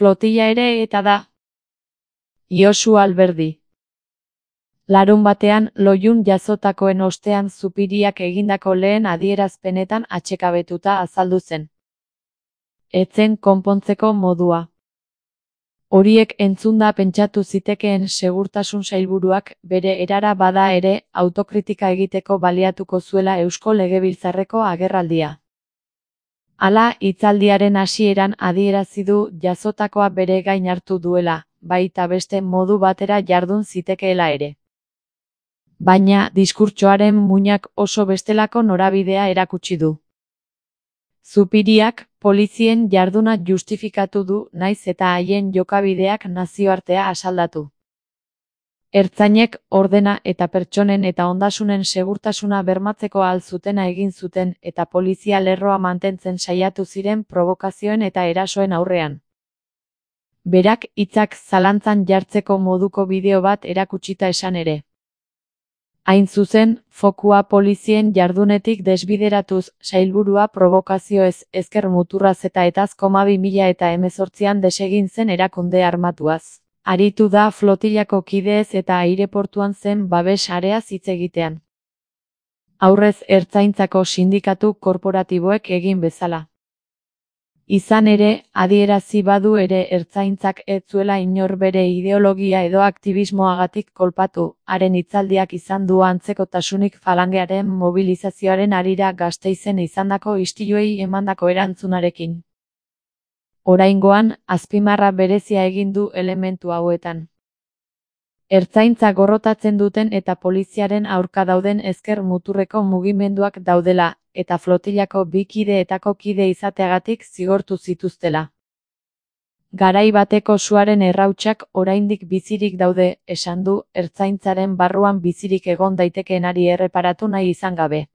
flotilla ere eta da. Josu Alberdi. Larunbatean Loiun jazotakoen ostean Zupiriak egindako lehen adierazpenetan atsekabetuta azaldu zen. Etzen konpontzeko modua. Horiek entzunda pentsatu zitekeen segurtasun sailburuak bere erara bada ere autokritika egiteko baliatuko zuela Eusko Legebiltzarreko agerraldia. Hala, hitzaldiaren hasieran adierazi du jazotakoa bere gain hartu duela, baita beste modu batera jardun zitekeela ere. Baina diskurtsoaren muinak oso bestelako norabidea erakutsi du. Zupiriak polizien jarduna justifikatu du naiz eta haien jokabideak nazioartea asaldatu. Ertzainek ordena eta pertsonen eta ondasunen segurtasuna bermatzeko ahal zutena egin zuten eta polizia lerroa mantentzen saiatu ziren provokazioen eta erasoen aurrean. Berak hitzak zalantzan jartzeko moduko bideo bat erakutsita esan ere. Hain zuzen, fokua polizien jardunetik desbideratuz, sailburua provokazioez, ezker muturraz eta etaz 2018an desegin zen erakunde armatuaz. Aritu da flotillako kideez eta aireportuan zen babes areaz hitz egitean. Aurrez ertzaintzako sindikatu korporatiboek egin bezala. Izan ere, adierazi badu ere ertzaintzak ez zuela inor bere ideologia edo aktivismoagatik kolpatu, haren hitzaldiak izan du antzekotasunik falangearen mobilizazioaren harira Gasteizen izandako istiluei emandako erantzunarekin. Oraingoan, azpimarra berezia egin du elementu hauetan. Ertzaintza gorrotatzen duten eta poliziaren aurka dauden ezker muturreko mugimenduak daudela, eta flotillako bi kideetako kide izateagatik zigortu zituztela. Garai bateko suaren errautsak oraindik bizirik daude, esan du, ertzaintzaren barruan bizirik egon daitekeenari erreparatu nahi izan gabe.